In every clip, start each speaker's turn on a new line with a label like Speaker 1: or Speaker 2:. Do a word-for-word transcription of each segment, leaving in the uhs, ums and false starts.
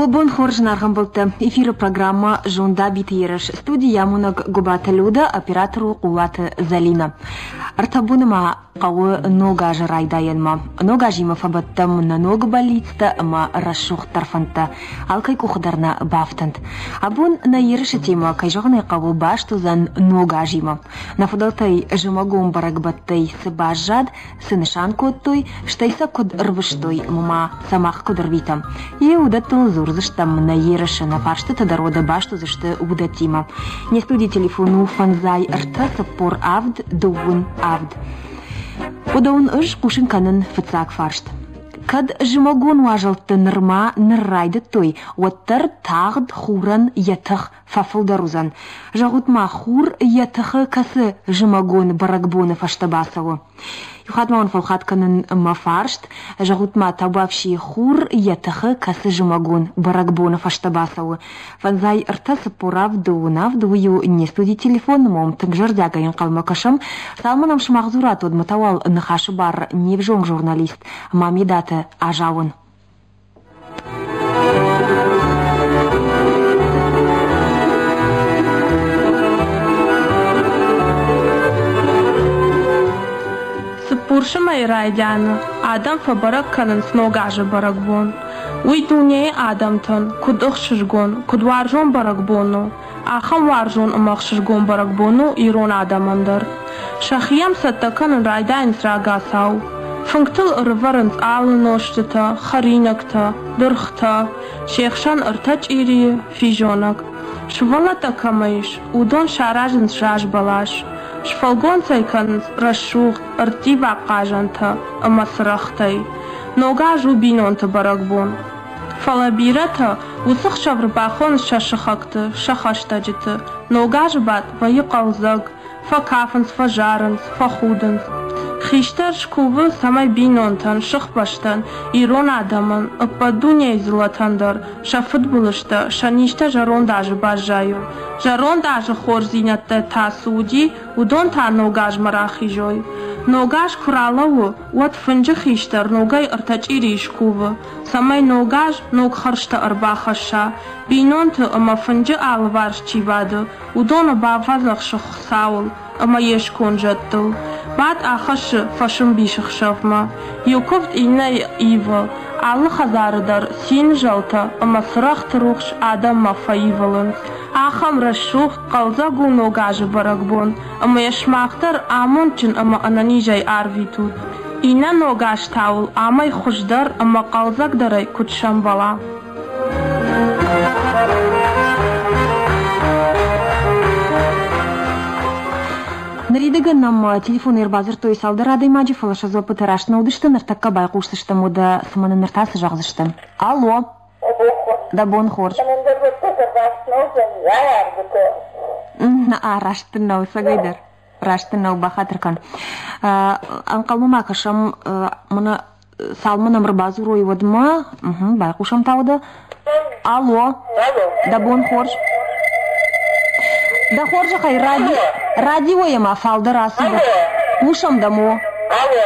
Speaker 1: Бон хорз наргъӕмбӕлттӕ. Эфиры программа «Зондабиты ерыс». Студийы амонӕг Гуыбаты Люда, оператор у Хъулаты Зӕлинӕ. Ӕртӕ боны ма хъӕуы ног азы райдайӕнмӕ. Ног азимӕ фӕбӕттӕм нӕ ног бӕллицтӕ ӕмӕ рӕсугъддӕр фӕндтӕ. Алкӕй къухы дӕр нӕ бафтӕнт. Абон нӕ ерысы темӕ, кӕй зӕгъын ӕй хъӕуы, баст уыдзӕн ног азимӕ. Нӕ фыдӕлтӕй зымӕгон бӕрӕгбӕттӕй цы баззад, цы нысан кодтой, стӕй сӕ куыд ӕрвыстой ӕмӕ ма сӕ мах куыд ӕрвитӕм. Йе уыдӕттыл дзурдзыстӕм нӕ ерысы, нӕ фарстытӕ дӕр уӕдӕ баст уыдзысты уыдӕттимӕ. Не студийы телефон у фӕндзай ӕртӕ цыппор авд дыууын авд. Уыдон ӕз хъусын кӕнын фыццаг фарст. Кӕд зымӕгон уазӕлтты нырма ныр райдыдтой, уӕддӕр тагъд хурӕн йӕ тых фӕфылдӕр уыдзӕн. Зӕгъут ма, хур йӕ тыхы кӕцы зымӕгон бӕрӕгбоны фӕстӕ бацӕуы? Иу хатт ма уын фӕлхат кӕнын мӕ фарст. Зӕгъут ма, табуафси, хур йӕ тыхы кӕцы зымӕгон бӕрӕгбоны фӕстӕ бацӕуы? Фӕндзай ӕртӕ цыппор авд дыууын авд, уый у не студийы телефон, ӕмӕ уӕм тынг зӕрдиагӕй ӕнхъӕлмӕ кӕсӕм. Цалынмӕ нӕм сымах дзурат, уӕдмӕ та уал ныхасы бар не взонг журналист Мамедаты Азауын.
Speaker 2: Цыппурсы мӕйы райдианы адӕм фӕбӕрӕг кӕнынц Ног азы бӕрӕгбон. Уый дунейы адӕмтӕн куыд ӕхсызгон, куыд уарзон бӕрӕгбон у, ахӕм уарзон ӕмӕ ӕхсызгон бӕрӕгбон у ирон адӕмӕн дӕр. Сӕхи йӕм цӕттӕ кӕнын райдайынц рагацау. Фынгтыл ӕрывӕрынц алы нозтытӕ, хӕринӕгтӕ, дыргътӕ, се хсӕн ӕртӕ чъирийы, физонӕг. Сывӕллӕттӕ кӕмӕ ис, уыдон саразынц зазбӕлас. Сфӕлгонц ӕй кӕнынц рӕсугъд, ӕрттиваг хъазӕнтӕ ӕмӕ цырӕгътӕй. Ног аз у бинонты бӕрӕгбон. Фӕлӕ бирӕтӕ уыцы хсӕв ӕрбахонынц сӕ сыхӕгты, сӕ хӕстӕджыты. Ног азы бадт вӕййы хъӕлдзӕг, фӕкафынц, фӕзарынц, фӕхудынц. Хистӕр скувы, цӕмӕй бинонтӕн, сыхбӕстӕн, ирон адӕмӕн, ӕппӕт дунейы дзыллӕтӕн дӕр сӕ фыдбылызтӕ, сӕ низтӕ зӕронд азы баззайой. Зӕронд азы хорздзинӕдтӕ та цы уыди, уыдон та ног азмӕ рахизой. Ног аз куы ралӕууы, уӕд фынджы хистӕр ногӕй ӕртӕ чъирийы скувы, цӕмӕй ног аз ног хӕрзтӕ ӕрбахӕсса. Бинонты ӕмӕ фынджы алыварс чи бады, уыдоны бафӕдзӕхсы Хуыцауыл ӕмӕ йе сконд зӕдтыл. Бадт ахӕссы фӕсӕмбисӕхсӕвмӕ. Иу куывд иннӕйы ивы. Алы хӕдзары дӕр цины зӕлтӕ ӕмӕ цырӕгъты рухс адӕммӕ фӕивылынц. Ахӕм рӕсугъд, хъӕлдзӕг у Ног азы бӕрӕгбон, ӕмӕ йӕ сымах дӕр амондджын ӕмӕ ӕнӕнизӕй арвитут. Иннӕ ног аз та уыл амӕй хуыздӕр ӕмӕ хъӕлдзӕгдӕрӕй куыд сӕмбӕла.
Speaker 1: Ныридӕгӕн нӕм телефоны ӕрбадзырдтой цалдӕр адӕймаджы, фӕлӕ сӕ дзуаппытӕ раст нӕ уыдысты, ныртӕккӕ байхъусдзыстӕм, уӕдӕ цымӕ нын ныр та цы зӕгъдзысты? Алло! Дӕ бон хорз. Раст дын нӕу, ӕцӕгӕйдӕр. Раст дын нӕу, бахатыр кӕн. Ӕнхъӕлмӕ ма кӕсӕм, мӕнӕ цалынмӕ нӕм ӕрбадзурой, уӕдмӕ. Байхъусӕм та уӕдӕ. Алло! Дӕ бон хорз. Дӕ хорзӕхӕй, ради, радиойӕ ма фалдӕр ацу. Хъусӕм дӕм, о.
Speaker 3: Алло.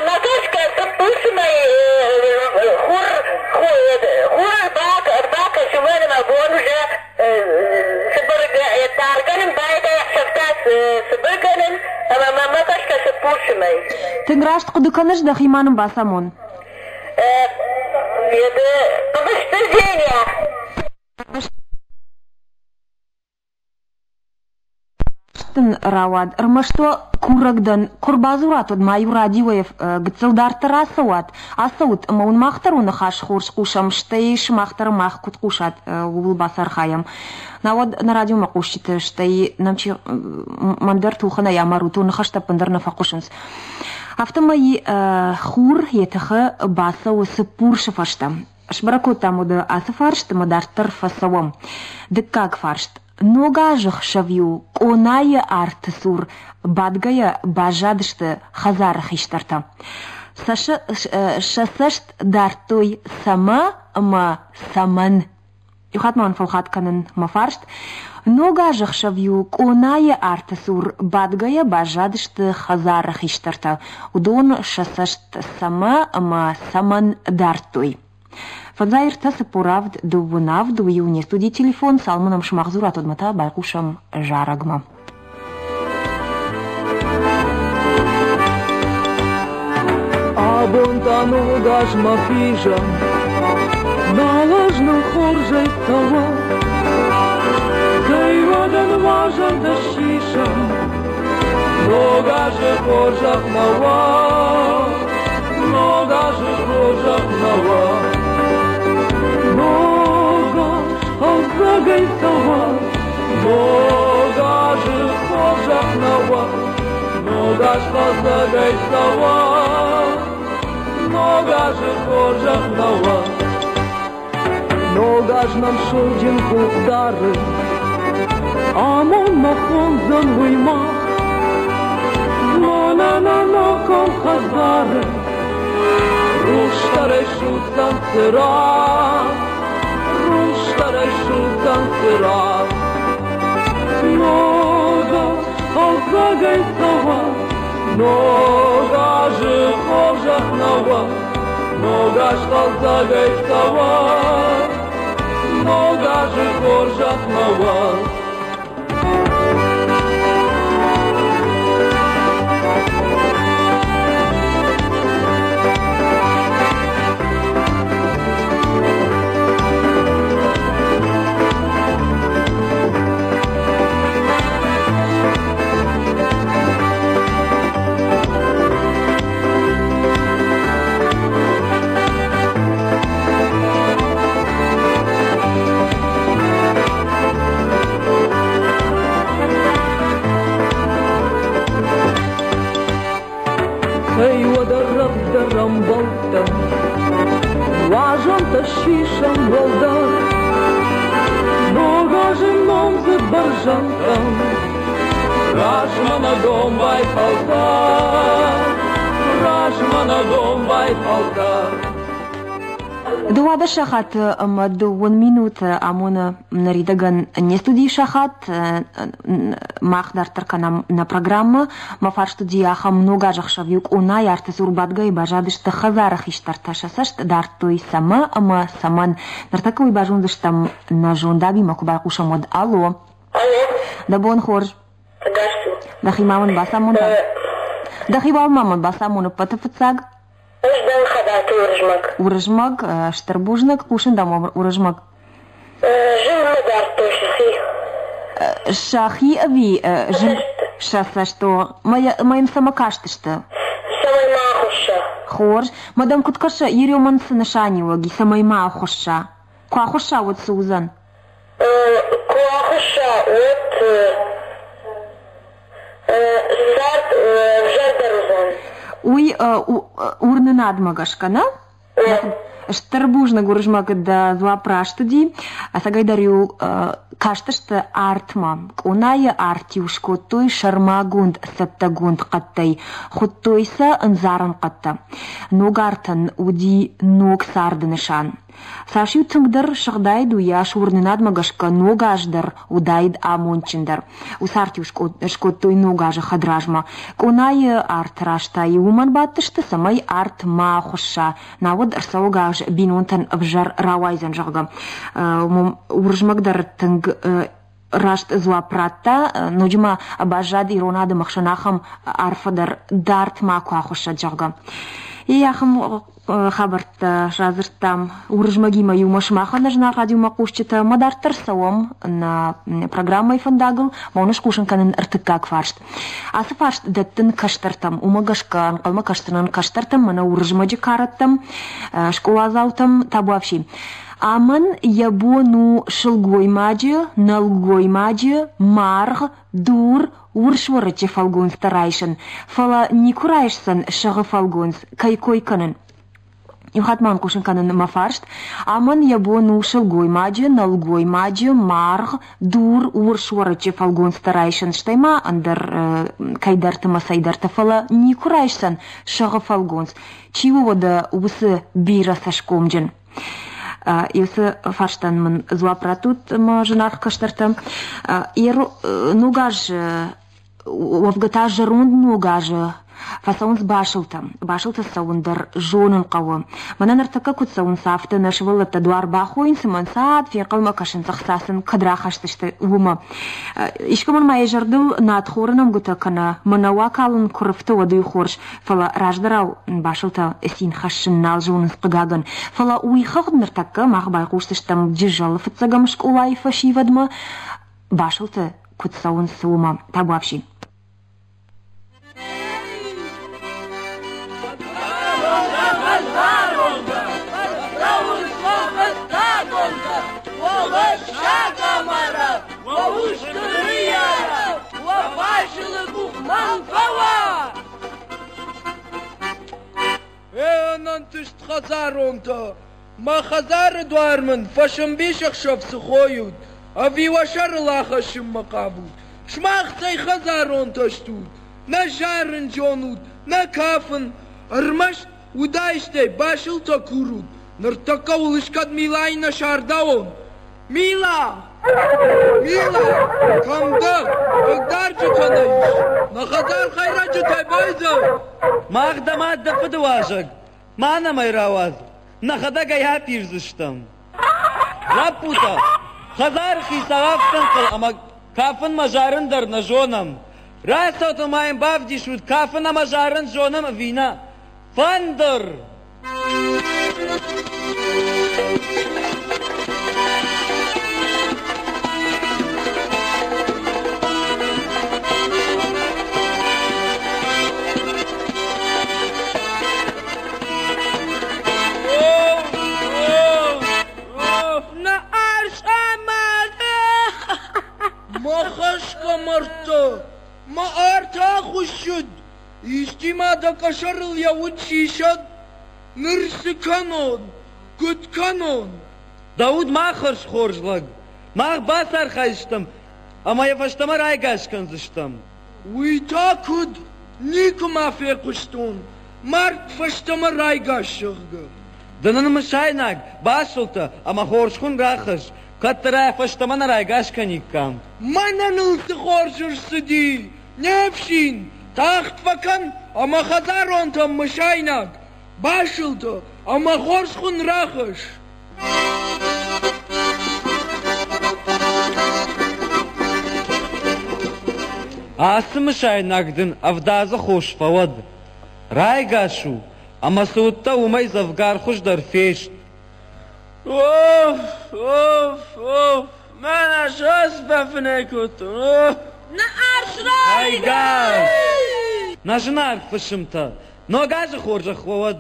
Speaker 3: Мӕ гӕсгӕ цыппурсы мӕй хур хур ӕрбакӕсы, уымӕн ӕмӕ бон уже таргӕнын байдайы, ӕхсӕв та цыбыргӕнын, ӕмӕ мӕ гӕсгӕ цыппурсы мӕй.
Speaker 1: Тынг раст хъуыды кӕныс, дӕхи ма нын бацамон.
Speaker 3: Хъыбызты Женя.
Speaker 1: Дын рауад, ӕрмӕст уӕ курӕг дӕн, куы ӕрбадзурат, уӕд ма-иу радиойӕ гыццыл дарддӕр ацӕуат, ацӕут ӕмӕ уын мах дӕр уӕ ныхас хорз хъусӕм, стӕй сымах дӕр мах куыд хъусат, ууыл бацархайӕм. Науӕд нӕ радиомӕ хъусджыты, стӕй нӕм чи мӕн дӕр тухӕнӕй амарут, уӕ ныхӕстӕ ӕппындӕр нӕ фӕхъуысынц. Афтӕмӕй хур йӕ тыхы бацӕуы цыппурсы фӕстӕ. Сбӕрӕг кодтам уӕдӕ ацы фарст ӕмӕ дарддӕр фӕцӕуӕм. Дыккаг фарст. Ног азы хсӕв-иу къонайы арты цур бадгӕйӕ баззадысты хӕдзары хистӕртӕ. Сӕ цӕст дардтой цӕмӕ ӕмӕ цӕмӕн. Иу хатт ма уын фӕлхат кӕнын мӕ фарст. Ног азы хсӕв-иу къонайы арты цур бадгӕйӕ баззадысты хӕдзары хистӕртӕ. Уыдон сӕ цӕст цӕмӕ ӕмӕ цӕмӕн дардтой. Фӕндзай ӕртӕ цыппор авд дыууын авд, уый у не студийы телефон, цалынмӕ нӕм сымах дзурат, уӕдмӕ та байхъусӕм зарӕгмӕ.
Speaker 4: Абон та ног азмӕ хизӕм, нал аз нын хорзӕй цӕуа. Цӕй уӕдӕ нуазӕнтӕ сисӕм, ног азы хорзӕх нӕ уа, ног азы хорзӕх нӕ уа. Ног аз хъӕлдзӕгӕй цӕуа, ног азы хорзӕх нӕ уа, ног аз хъӕлдзӕгӕй цӕуа, ног азы хорзӕх нӕ уа. Ног аз нӕм сылджын къух дары, амондмӕ хондзӕн уый мах. Мӕнӕ нӕ ногон хӕдзары рухсдӕрӕй судздзӕн цырагъ, рухсдӕрӕй судздзӕн цырагъ. Ног аз хъӕлдзӕгӕй цӕуа, ног азы хорзӕх нӕ уа, ног аз хъӕлдзӕгӕй цӕуа, ног азы хорзӕх нӕ уа. Цӕй уӕдӕ рӕвдздӕр ӕмбӕлттӕм, нуазӕнтӕ сисӕм уӕлдӕр. Ног азы номдзыд бӕрзӕндтӕм, размӕ нӕ домбай фӕлтӕр, размӕ нӕ домбай фӕлтӕр.
Speaker 1: Дыууадӕс сахаты ӕмӕ дыууын минуты амоны ныридӕгӕн не студийы сахат. Мах дарддӕр кӕнӕм нӕ программӕ. Мӕ фарст уыди ахӕм: ног азы ӕхсӕв-иу къонайы арты цур бадгӕйӕ баззадысты хӕдзары хистӕртӕ, сӕ цӕст дардтой цӕмӕ ӕмӕ цӕмӕн. Ныртӕккӕ уый базондзыстӕм нӕ зондабимӕ куы байхъусӕм, уӕд. Алло.
Speaker 3: Алло.
Speaker 1: Дӕ бон хорз.
Speaker 3: Ӕгас цу.
Speaker 1: Дӕхи ма мын бацамон. Дӕхи уал ма мын бацамон ӕппӕты фыццаг.
Speaker 3: Ӕз дӕн Хабӕты Уырызмӕг.
Speaker 1: Уырызмӕг, стыр бузныг, хъусын дӕм, Уырызмӕг.
Speaker 3: Зынгмӕ дардтой сӕхи.
Speaker 1: Сӕхи ӕви зынг сӕ цӕст? Мӕ йӕм цӕмӕ кастысты?
Speaker 3: Цӕмӕй ма ахуысса.
Speaker 1: Хорз. Мӕ дӕм куыд кӕсы, Еремӕн цы нысаниуӕг и, цӕмӕй ма ахуысса? Куы ахуысса, уӕд цы уыдзӕн?
Speaker 3: Куы ахуысса, уӕд цард ӕвзӕрдӕр уыдзӕн.
Speaker 1: Уый уырнынадмӕ гӕсгӕ, нӕ? Стыр бузныг, Уырызмӕг, дӕ дзуапп раст уыди. Ӕцӕгӕйдӕр-иу кастысты артмӕ. Къонайы арт-иу скодтой сӕрмагонд цӕттӕгонд хъӕдтӕй, хуыдтой сӕ ӕндзарӕн хъӕдтӕ. Ног артӕн уыди ног царды нысан. Цас-иу тынгдӕр сыгъдаид, уыйас уырнынадмӕ гӕсгӕ ног аз дӕр уыдаид амондджындӕр. Уыцы арт-иу скодтой ног азы хӕдразмӕ. Къонайы арты раз та-иу уымӕн бадтысты, цӕмӕй арт ма ахуысса, науӕд ӕрцӕуӕг аз бинонтӕн ӕвзӕр рауайдзӕн, зӕгъгӕ. Уырызмӕг дӕр тынг раст дзуапп радта, ноджы ма баззад ирон адӕмы хсӕн ахӕм арфӕ дӕр: дард макуы ахуыссӕд, зӕгъгӕ. И ахӕм хабӕрттӕ радзырдтам Уырызмӕгимӕ иумӕ сымахӕн, зынаргъ радиомӕхъусджытӕ. Ӕмӕ дарддӕр цӕуӕм нӕ программӕйы фӕндагыл. Мӕ уын скусын кӕнын ӕртыккаг фарст. Ацы фарст дӕттын кӕстӕртӕм. Уымӕ гӕсгӕ ӕнхъӕлмӕ кӕсдзынӕн кӕстӕртӕм, мӕнӕ Уырызмӕджы кӕрӕттӕм, скъоладзаутӕм. Табуафси. Амӕн йӕ бон у сылгоймаджы, нӕлгоймаджы, маргъ, дур, урс уӕрыччы фӕлгонцтӕ райсын, фӕлӕ никуы райсдзӕн сӕгъы фӕлгонц, кӕй кой кӕнын. Иу хатт ма хъусын кӕнын мӕ фарст. Амӕн йӕ бон у сылгоймаджы, нӕлгоймаджы, маргъ, дур, урс уӕрыччы фӕлгонцтӕ райсын, стӕй ма ӕндӕр кӕйдӕрты мӕ цӕйдӕрты, фӕлӕ никуы райсдзӕн сӕгъы фӕлгонц. Чи у уӕдӕ уыцы бирӕ цӕсгомджын? Уыцы фарстӕн мын дзуапп раттут, мӕ зынаргъ кӕстӕртӕ. Ног аз, уӕвгӕ та зӕронд ног азы Фӕцӕуынц басылтӕ. Басылты цӕуын дӕр зонын хъӕуы. Мӕнӕ ныртӕккӕ куыд цӕуынц, афтӕ нӕ сывӕллӕттӕ дуар бахойынц ӕмӕ ӕнцад фенхъӕлмӕ кӕсынц, ӕхца сын кӕд рахӕсдзысты, уымӕ. Искӕмӕн ма йӕ зӕрдыл надхоры нӕмгуытӕ кӕнӕ мӕнӕу акалын куы рыфты, уӕд уый хорз. Фӕлӕ раздӕрау басылтӕ цин хӕссын нал зонынц, хъыгагӕн. Фӕлӕ уый хыгъд ныртӕккӕ мах байхъусдзыстӕм Джызӕлы фыццӕгӕм скъолайы фӕсивӕдмӕ, басылты куыд цӕуынц, уымӕ. Табуафси.
Speaker 4: Ӕнӕнтыст хӕдзаронтӕ, мӕ хӕдзары дуар мын фӕсӕмбисӕхсӕв цы хойут, ӕви уӕ сӕрыл ахӕссынмӕ хъавут? Сымах цӕй хӕдзаронтӕ стут? Нӕ зарын зонут, нӕ кафын, ӕрмӕст удаистӕй басылтӕ курут. Ныртӕккӕ уыл искӕд Милайы нӕ сардауон? Мила! Мила! Кӕм дӕ? Хъыгдарджытӕ нӕ ис. Нӕ хӕдзар хӕйрӕджытӕй байдзаг.
Speaker 5: Мах дӕ мад дӕ фыды уазӕг. Ма нӕм ӕй рауадз. Нӕхӕдӕг ӕй апирдзыстӕм. Лӕппутӕ, хӕдзары хицау афтӕ ӕнхъӕл ӕмӕ кафынмӕ зарын дӕр нӕ зонӕм. Рацӕут ӕмӕ йын бавдисут, кафын ӕмӕ зарын зонӕм ӕви нӕ. Фӕндыр!
Speaker 4: Мӕ хӕсгӕ мӕрдтӕ, мӕ арт ахуыссыд, исчи ма дӕ къӕсӕрыл йӕ уд сисӕд. Ныр цы кӕнон, куыд кӕнон?
Speaker 5: Дӕ уд ма хӕрз хорз лӕг, мах бацархайдзыстӕм ӕмӕ йӕ фӕстӕмӕ райгас кӕндзыстӕм.
Speaker 4: Уый та куыд? Никуы ма фехъуыстон, мард фӕстӕмӕ райгас, зӕгъгӕ.
Speaker 5: Ды нын мысайнаг, басылтӕ ӕмӕ хорз хуын рахӕсс, кӕддӕр ӕй фӕстӕмӕ нӕ райгас кӕниккам.
Speaker 4: Мӕнӕ ныл цы хорз ӕрцыди, не фсин, тагъд фӕкӕн ӕмӕ хӕдзаронтӕм мысайнаг, басылтӕ ӕмӕ хорз хуын рахӕсс.
Speaker 5: Ацы мысайнаг дын ӕвдадзы хос фӕуӕд. Райгас у, ӕмӕ цы уыдтӕ, уымӕй дзӕвгар хуыздӕр фест.
Speaker 6: Оф, оф, оф, мӕнӕ сас бафынӕй кодтон.
Speaker 2: Нӕ арс райгас!
Speaker 5: Нӕ зынаргъ фысымтӕ, ног азы хорзӕх уӕ уӕд,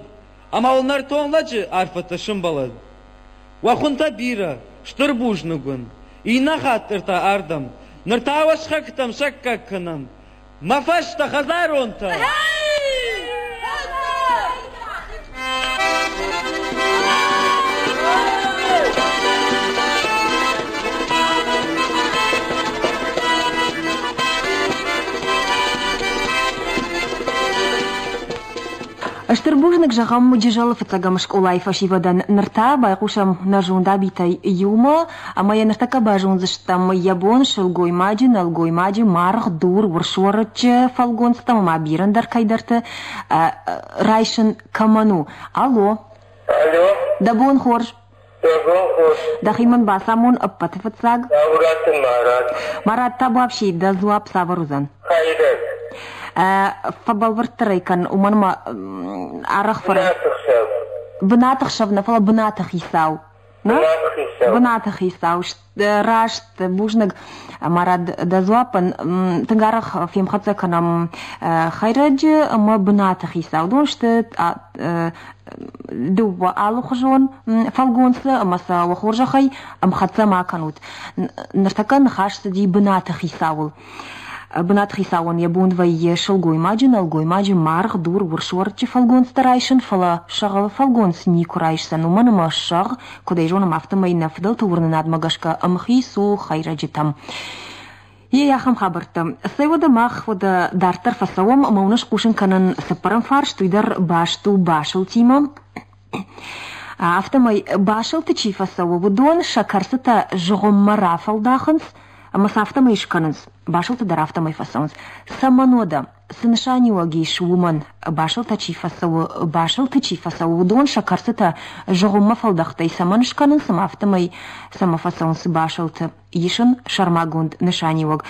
Speaker 5: ӕмӕ уыл нӕртон лӕджы арфӕтӕ сӕмбӕлӕд. Уӕ хуынтӕ бирӕ, стыр бузныг уын. Иннӕ хатт та ардӕм. Ныр та уӕ сыхӕгтӕм саккаг кӕнӕм. Мӕ фӕстӕ хӕдзаронтӕ!
Speaker 1: Стыр бузныг зӕгъӕм Джызӕлы фыццӕгӕм скъолайы фӕсивӕдӕн. Ныр та байхъусӕм нӕ зондабитӕй иумӕ ӕмӕ йӕ ныртӕккӕ базондзыстӕм йӕ бон сылгоймаджы, нӕлгоймаджы, маргъ, дур, урс уӕрыччы фӕлгонцтӕм ӕмӕ бирӕ ӕндӕр кӕйдӕрты райсын кӕмӕн у. Алло.
Speaker 3: Алло.
Speaker 1: Дӕ бон хорз.
Speaker 3: Дӕ бон хорз.
Speaker 1: Дӕхи мын бацамон ӕппӕты фыццаг.
Speaker 3: Дауыраты Марат.
Speaker 1: Марат, табуафси, дӕ дзуапп цавӕр уыдзӕн?
Speaker 3: Хӕйрӕг.
Speaker 1: Фӕбӕлвырддӕр ӕй кӕн, уымӕн ӕмӕ арӕх фӕрӕз.
Speaker 3: Бынаты хсӕв.
Speaker 1: Бынаты хсӕв нӕ, фӕлӕ бынаты хицау.
Speaker 3: Бынаты хицау.
Speaker 1: Бынаты хицау. Раст, бузныг, Марат, дӕ дзуаппӕн. Тынг арӕх фемхӕццӕ кӕнӕм хӕйрӕджы ӕмӕ бынаты хицау. Уыдон сты дыууӕ алыхуызон фӕлгонцы ӕмӕ сӕ уӕ хорзӕхӕй ӕмхӕццӕ ма кӕнут. Ныртӕккӕ ныхас цыди бынаты хицауыл. Бынаты хицауӕн йӕ бон вӕййы сылгоймаджы, нӕлгоймаджы, маргъ, дур, урс уӕрыччы фӕлгонцтӕ райсын, фӕлӕ сӕгъы фӕлгонц никуы райсдзӕн, уымӕн ӕмӕ сӕгъ, куыд ӕй зонӕм, афтӕмӕй нӕ фыдӕлты уырнынадмӕ гӕсгӕ ӕмхиц у хӕйрӕджытӕм. Йе ахӕм хабӕрттӕ. Цӕй уӕдӕ мах уӕдӕ дарддӕр фӕцӕуӕм ӕмӕ уын хъусын кӕнын цыппӕрӕм фарст, уый дӕр баст у басылтимӕ. Афтӕмӕй басылты чи фӕцӕуы, уыдон сӕ кӕрцытӕ зыгъуыммӕ рафӕлдахынц, Ӕмӕ сӕ афтӕмӕй скӕнынц, басылты дӕр афтӕмӕй фӕцӕуынц. Цӕмӕн уӕдӕ? Цы нысаниуӕг ис уымӕн? Басылтӕ чи фӕцӕуы, басылты чи фӕцӕуы, уыдон сӕ кӕрцытӕ зыгъуыммӕ фӕлдӕхтӕй цӕмӕн скӕнынц ӕмӕ афтӕмӕй цӕмӕ фӕцӕуынц басылты? Ис ын сӕрмагонд нысаниуӕг.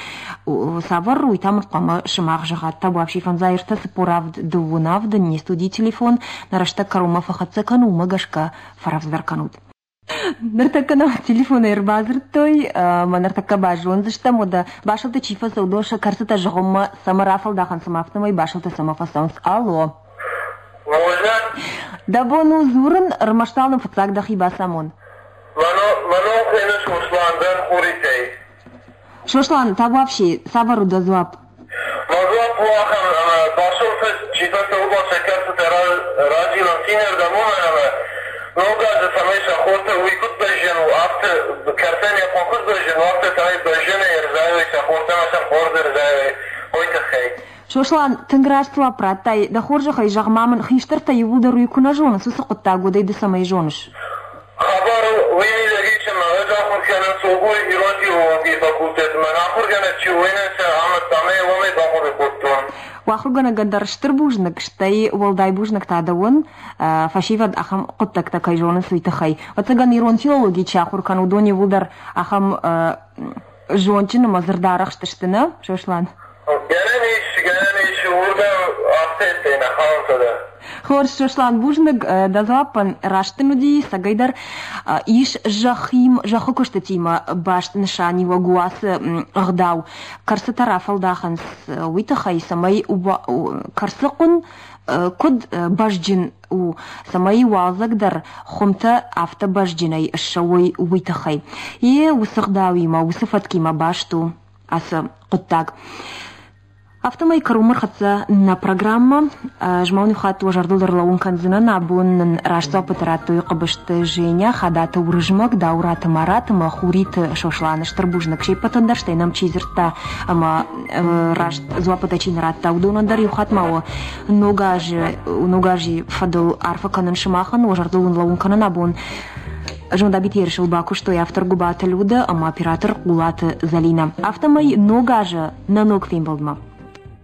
Speaker 1: Цавӕр, уый та мын хъуамӕ сымах зӕгъат. Табуафси фӕндзай ӕртӕ цыппор авд дыууын авд не студийы телефон нӕ рӕстӕг кӕронмӕ фӕхӕццӕ кӕны, уымӕ гӕсгӕ фӕрӕвдздӕр кӕнут. Ныртӕккӕ нӕм телефонӕй ӕрбадзырдтой, ӕмӕ ныртӕккӕ базондзыстӕм, уӕдӕ басылты чи фӕцӕуы, уыдон сӕ кӕрцытӕ зыгъуыммӕ цӕмӕ рафӕлдахынц ӕмӕ афтӕмӕй басылты цӕмӕ фӕцӕуынц. Алло!
Speaker 7: Можно?
Speaker 1: Дӕ бон у дзурын, ӕрмӕст уал нын фыццаг дӕхи бацамон.
Speaker 7: Мӕ ном хуыйны Сослан, дӕн Хуритӕй.
Speaker 1: Сослан, табуафси, цавӕр у дӕ дзуапп?
Speaker 7: Мӕ дзуапп у ахӕм, ӕмӕ басылты чи фӕцӕуы, уыдон сӕ кӕрцытӕ разилынц иннӕрдӕм, уымӕн ӕмӕ ног азы цӕмӕй сӕ хортӕ уый куыд бӕзджын у, афтӕ кӕрцӕн йӕ хъон куыд бӕзджын у, афтӕ цӕмӕй бӕзджынӕй ӕрзайой сӕ хортӕ ӕмӕ сӕм хорз ӕрзайой, уый тыххӕй.
Speaker 1: Сослан, тынг раст дзуапп радтай. Дӕ хорзӕхӕй зӕгъ-ма мын, хистӕртӕ иууылдӕр уый куы нӕ зонынц, уыцы хъуыддаг, уӕд ӕй ды цӕмӕй зоныс?
Speaker 7: Хабар уый мидӕг ис, ӕмӕ ӕз ахуыр кӕнын Согуй ирон филологийы факультеты. Мӕн ахуыргӕнӕг чи у, уый нын сӕ амыдта ӕмӕ йӕ уымӕй бахъуыды кодтон.
Speaker 1: У ахуыргӕнӕгӕн дӕр стыр бузныг, стӕй уӕлдай бузныг та дӕуӕн, фӕсивӕд ахӕм хъуыддӕгтӕ кӕй зонынц, уый тыххӕй. Ӕцӕгӕн ирон филологи чи ахуыр кӕны, уыдон иууылдӕр ахӕм зондджын ӕмӕ дзырдарӕхст сты, нӕ, Сослан?
Speaker 7: Гӕнӕн ис, гӕнӕн ис, уырдӕм афтӕ нӕ хауынц дӕр.
Speaker 1: Хорз, Сослан, бузныг дӕ дзуаппӕн. Раст дын уыди, цӕгӕйдӕр ис зӕххим, зӕххы куыстытимӕ баст нысаниуӕг у ацы ӕгъдау. Кӕрцытӕ рафӕлдахынц уый тыххӕй, цӕмӕй кӕрцы хъуын куыд бӕзджын у, цӕмӕй уалдзӕг дӕр хуымтӕ афтӕ бӕзджынӕй ссӕуой, уый тыххӕй. Йе уыцы ӕгъдауимӕ, уыцы фӕткимӕ баст у ацы хъуыддаг. Афтӕмӕй кӕронмӕ рхӕццӕ нӕ программӕ. Ӕз ма уын иу хатт уӕ зӕрдыл ӕрлӕууын кӕндзынӕн. Абон нын раст дзуаппытӕ радтой Хъыбызты Женя, Хадаты Уырызмӕг, Дауыраты Марат ӕмӕ Хуриты Сослан. Стыр бузныг се ппӕтӕн дӕр, стӕй нӕм чи дзырдта ӕмӕ раст дзуаппытӕ чи нӕ радта, уыдонӕн дӕр иу хатт ма уӕ ног азы, ног азы фӕдыл арфӕ кӕнын сымахӕн, уӕ зӕрдыл уын лӕууын кӕнын абон. Зондабиты ерысыл бакуыстой автор Гуыбаты Людӕ ӕмӕ оператор Хъулаты Зӕлинӕ. Афтӕмӕй ног азы нӕ ног фембӕлдмӕ.